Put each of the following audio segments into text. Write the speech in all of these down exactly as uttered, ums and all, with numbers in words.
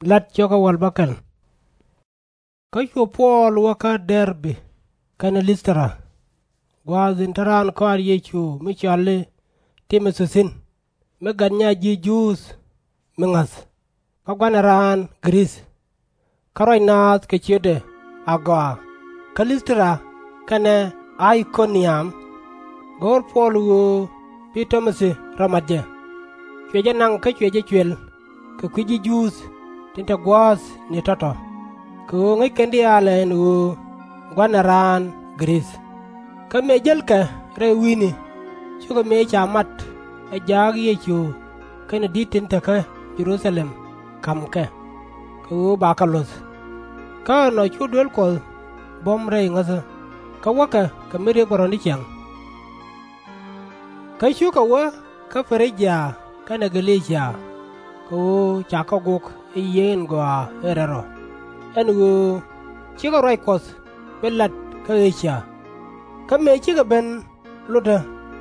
La̱t cio̱kä wäl bäkɛl. Kä cu Puɔl wä kä Dɛr-bi kɛnɛ Lith-tɛ-ra, gua̱a̱th in te raan kɔaar Yecu mi cɔal i̱ Ti-mo-thi thi̱n, mi gat nyaath ji̱ Juudh mi ŋa̱th, kä gua̱n ɛ raan Gɛ-rith. Kä ruac naath kɛ ciötdɛ agɔaa kä Lith-tɛ-ra kɛnɛ Ay-ko-niäm. Go̱o̱r Puɔl ɣöö bi Ti-mo-thi rɔ mat jɛ. Cuɛ jɛ naŋ kä cuɛ jɛ cuël kɛ kui̱ ji̱ Juudh tin te gua̱a̱th ni tɔ̱tɔ̱, kɛ ɣöö ŋäc kɛn diaal ɛ ɛn ɣöö gua̱n ɛ raan Gɛ-rith. Kä mëë jälkɛ rɛy wi̱i̱ni, cukɛ mëë ca mat ɛ jaak Yecu kɛnɛ di̱t tin te kä Jɛ-ru-tha-lɛm ka̱m kɛ, kɛ ɣöö bakɛ luɔ̱th. Kä ɛnɔ cu duel Kuɔth buɔ̱m rɛy ŋäthä, kä wäkɛ kɛ mi riɛk bɛ rɔ̱ ni ciaŋ. Kä cukɛ wä kä Pɛ-ri-jia kɛnɛ Gä-lɛ-cia, kɛ ɣöö ca kɛ gok ɛ yiëë in gɔaa in rɛl rɔ, ɛn ɣöö /cikɛ ruac Kuɔth bi lat kä E-cia. Kä mëë cikɛ ben lotdä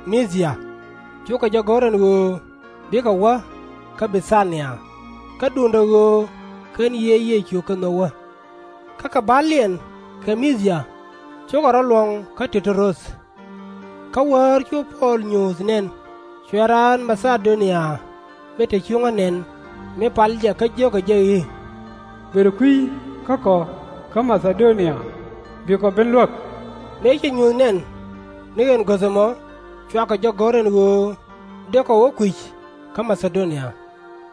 Mi̱-thi-ya, cukɛ jɛ go̱r ɛn ɣöö bikɛ wä kä Bi-thi-nia, kä duundɛ ɣöö /ken Yiëë Yecu kɛ nhök wä. Kä kɛ ba̱liɛn kɛ Mi̱-thi-ya, cukɛ rɔ̱ luɔ̱ŋ kä Ti-tu-roth. Kä wäär cu Puɔl nyuuth nɛn, cuɛ raan Ma-tha-do-nia mi te cuŋä nɛn mi pal jɛ kä jio̱kɛ jɛ i̱, Bër kui̱ kä kɔ kä Ma-tha-do-nia, bikɔ ben luäk. Mëë cɛ nyuuth nɛn, ni ɛn guäth ɛmɔ cua kɛ jɛ go̱r ɛn ɣöö dëëkɔ wä kui̱c kä Ma-tha-do-nia,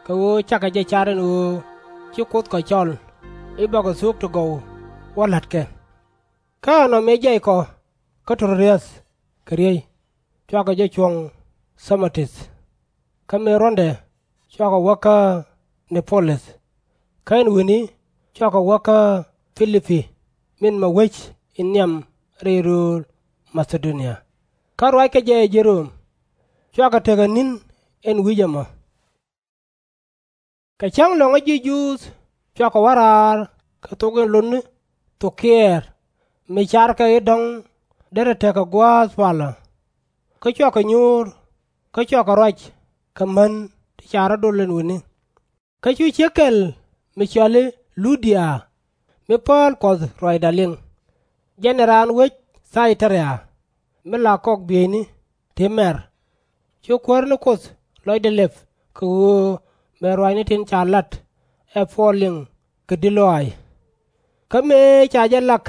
kɛ ɣöö cakɛ jɛ car ɛn ɣöö ci Kuoth kɔ cɔl i̱ bakɔ thuk ti gɔw wä la̱t kɛ. Kä ɛnɔ mëë jiaykɔ kä Ti-ro-ath kɛ riey, cua kɛ jɛ cuɔ̱ŋ Tha-mo-tith. Kä mëë ruɔ̱ndɛ, cua kɔ wä kä Nɛ-pu-lith. Kä ɛn wi̱ni cua kɔ wä kä Pi-li-pi, min mɔ wec in nhiam rɛy rööl Ma-tha-do-nia, kä ruackɛ jɛ ɛ ji̱ Röm. Cua kɔ tekɛ ni̱n ɛn wi̱c ɛmɔ. Kɛ cäŋ lɔ̱ŋä ji̱ Juudh cua kɔ wä raar kɛ thok in lotni thok kiɛɛr, mi carkɛ i̱ dɔ̱ŋ derɛ tekɛ gua̱a̱th palä. Kä cua kɔ nyuur, kä cua kɔ ruac kɛ män ti ca rɔ̱ dol ɛn wi̱ni. Kä cu ciek kɛl mi cɔal i̱ Lu-dia, mi pääl Kuɔth ruacda liŋ. Jɛn ɛ raan wec Thay-tɛ-ria, mi la kɔk bieyni ti mɛr. Cu Kuäär ni Kuoth lɔcdɛ lɛp kɛ ɣöö bɛ ruaacni tin ca lat ɛ Puɔl liŋ kɛ di̱t lɔaac. Kä mëë ca jɛ lak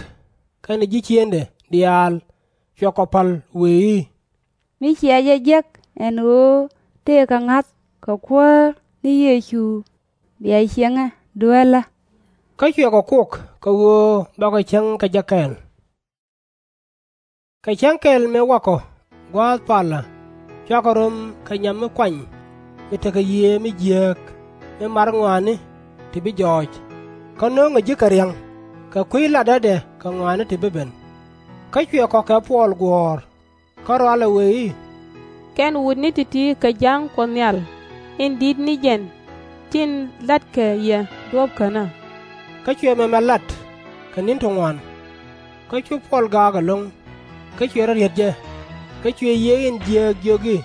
kɛnɛ ji̱ ciëŋdɛ diaal, cuɛ kɔ pa̱l wëë i̱, Mi cia jɛ jek ɛn ɣöö tëëkɛ ŋa̱th kɛ Kuäär ni Yecu, bia ciëŋɛ dueelä. Kä cuɛ kɔ kok kɛ ɣöö bakɔ cieŋ kɛ jɛ kɛɛl. Kɛ cäŋ kɛl mëë wakɔ gua̱a̱th palä, cua kɔ röm kɛ nyam mi kuany mi tekɛ yiëë mi jiääk, mi mar ŋɔaani ti bi jɔɔc, kä no̱o̱ŋɛ ji̱ kɛ ria̱ŋ kɛ kui̱ latdädɛ kɛ ŋɔaani ti bi ben. Kä cuɛ kɔ kɛ Puɔl guɔ̱ɔ̱r, kä rɔalɛ wëë i̱, Kɛn wutni ti̱ti̱ kɛ ja̱a̱ŋ Kuɔth Nhial in di̱t ni jɛn tin la̱tkɛ yɛ duɔ̱ɔ̱p känä. Kä cuɛ mɛmɛ lat kɛ ni̱n ti ŋuan. Kä cu Puɔl gaak ɛlɔ̱ŋ, kä cuɛ rɔ̱ riet jɛ, kä cuɛ yiëë in jiääk jiök i̱,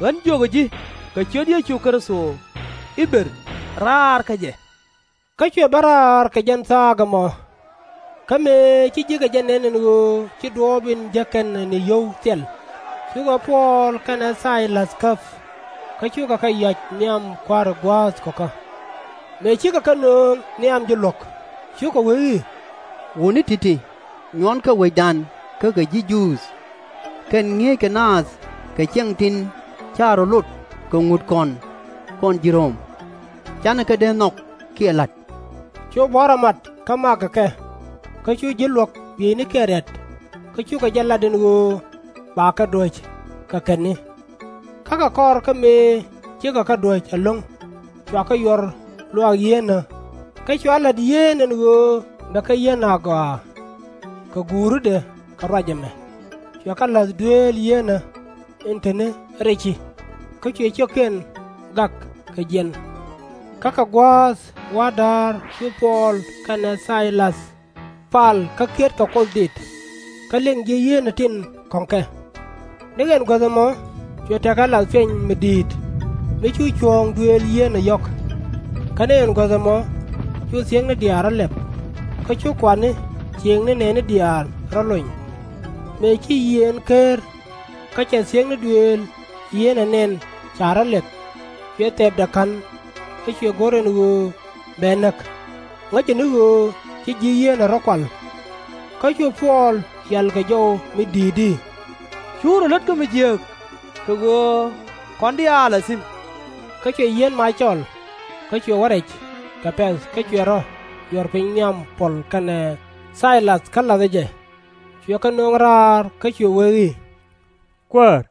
Ɣän jiökä ji̱ kɛ ciöt Yecu Kritho i̱ bër, raar kä jɛ. Kä cuɛ ben raar kɛ jɛn thaak ɛmɔ. Kä mëë ci ji̱ kɛ jɛ nɛn ɛn ɣöö ci duɔ̱ɔ̱p in jek kɛn ɛ ni yio̱w thil, cukɛ Puɔl kɛnɛ Thay-läth käp, kä cukɛ kɛ yɔ̱a̱c nhiam kua̱ri gua̱a̱th kɔkä. Mëë cikɛ kɛ nöŋ nhiam ji̱ luɔ̱k, cukɛ wee i̱, Wutni ti̱ti̱, nyuɔnkɛ wecdan kä kɛ ji̱ Juudh, kɛn ŋi̱eeckɛ naath kɛ ciɛŋ tin /ca rɔ̱ lot kɛ ŋut kɔn, kɔn ji̱ Röm. /Canɛ kɛ dee nhɔk kiɛ la̱t. Cu buɔ̱n rɔ mat kä makɛ kɛ, kä cu ji̱ luɔ̱k bieynikiɛn rɛ̈t, kä cukɛ jɛ lat ɛn ɣöö bakɛ duäc kɛ kɛtni. Kä kɛ kɔr kä mëë cikɛ kɛ duäc ɛlɔ̱ŋ, cua kɛ yuɔr luaak yieenä, kä cua la̱t yieen ɛn ɣöö bɛ kɛ yieen agɔaa. Kɛ guuridɛ kɛ ruac ɛmɛ, cuɛ kɛ la̱th dueel yieenä in te ni rɛci, kä cuɛ ciökiɛn gak kɛ jiɛn. Kä kɛ gua̱a̱th wa̱r da̱a̱r cu Puɔl kɛnɛ Thay-läth pal kä kiɛt kɛ Kuoth Dit, kä liŋ ji̱ yieenä tin kɔ̱ŋ kɛ. Ni ɛn guäth ɛmɔ cuɛ tekɛ lath piɛny mi di̱i̱t, mi cu cuɔ̱ɔ̱ŋ duëël yieenä yɔ̱k. Kä ni ɛn guäth ɛmɔ cu thiekni diaal rɔ lɛp, kä cu kuatni ciëŋni nɛɛni diaal rɔ lony. Mëë ci yiëë ɛn ker, kä cɛ thiekni duëël yiëë ɛ nɛn ca rɔ lɛp, cuɛ thɛpdɛ ka̱n, kä cuɛ go̱r ɛn ɣöö bɛ näk, ŋäcɛ ni ɣöö ci ji̱ yieenɛ rɔ kual. Kä cu Puɔl yal kɛ jɔw mi di̱i̱t i̱, Cu rɔ lät kä mi jiääk, kɛ ɣöö kɔn diaal a thi̱n. Kä cuɛ yieen mac cɔl, kä cuɛ wä rɛc kɛ pɛ̈th, kä cuɛ rɔ yuɔr piny nhiam Puɔl kɛnɛ Thay-läth kä la̱thkɛ jɛ. Cuɛ kɛ nööŋ raar, kä cuɛ wee i̱, Kuäär,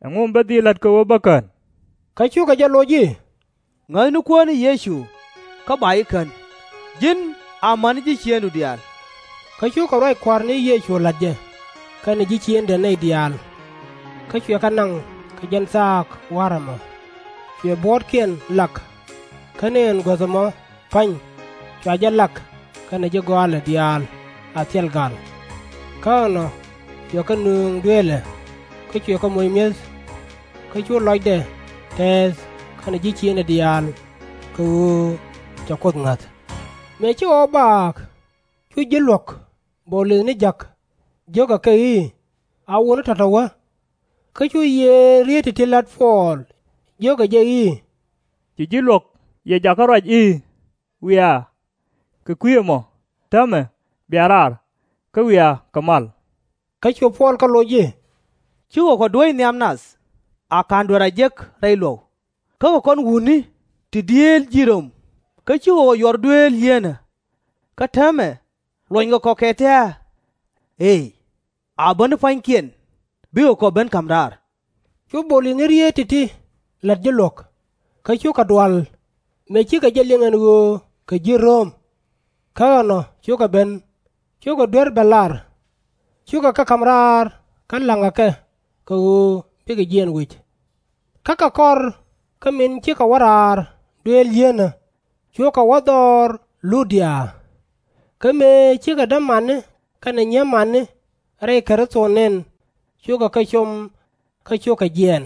ɛŋu mi bä dhil la̱t kɛ ɣöö bä kän? Kä cukɛ jɛ loc i̱, Ŋäth ni Kuäär ni Yecu, kä ba ji̱ kän, ji̱n amäni ji̱ ciëŋdu diaal. Kä cukɛ ruac Kua̱r ni Yecu la̱t jɛ kɛnɛ ji̱ ciëŋdɛ nɛy diaal. Kä cuɛ kɛ naŋ kɛ jɛn thaak wa̱r ɛmɔ, cuɛ buɔ̱ɔ̱tkiɛn lak, kä ni ɛn guäth ɛmɔ pa̱ny, cua jɛ lak kɛnɛ ji̱ gɔaalɛ diaal a thil gal. Kä ɛnɔ cuɛ kɛ nööŋ dueelɛ, kä cuɛ kɛ moc mi̱eth. Kä cu lɔcdɛ tɛɛth kɛnɛ ji̱ ciëŋdɛ diaal, kɛ ɣöö cɛ Kuoth ŋäth. Mëë ci ɣɔw baak, cu ji̱ luɔ̱k Bɔɔlith ni ja̱k jiökɛ kɛ i̱, A wutni tɔ̱tɔ̱ wä. Kä cu yiëë rieet ti̱ti̱ la̱t Puɔl, jiökɛ jɛ i̱, Ci ji̱ luɔ̱k yɛ jakä ruac i̱, Wiaa, kɛ kui̱ ɛmɔ, täämɛ bia raar, kä wiaa kɛ mal. Kä cu Puɔl kɛ loc i̱, Cikɛ kɔ duäc nhiam nath a /ka̱n duer a jek rɛy luɔ̱k, kä kɛ kɔn wutni ti dieel ji̱ Röm, kä cikɛ kɔ yuɔr dueel yieenä. Kä täämɛ luɔnykɛ kɔ kɛ tɛ̱̈ɛ̱̈? Eey, a bä ni pua̱nykiɛn, bikɛ kɔ ben ka̱m raar. Cu Bɔɔlith ni rieet ti̱ti̱ la̱t ji̱ luɔ̱k, kä cukɛ dual, mëë cikɛ jɛ liŋ ɛn ɣöö kɛ ji̱ Röm. Kä ɛnɔ cukɛ ben, cukɛ duer ben lar, cukɛ kɛ ka̱m raar kä la̱ŋkɛ kɛ kɛ ɣöö bikɛ jiɛɛn wec. Kä kɛ kɔr, kä min cikɛ wä raar dueel yieenä, cukɛ wä dhɔr Lu-dia. Kä mëë cikɛ dämani kɛnɛ nyiemani rɛy Kritho nɛn, cukɛ kɛ com, kä cukɛ jiɛɛn.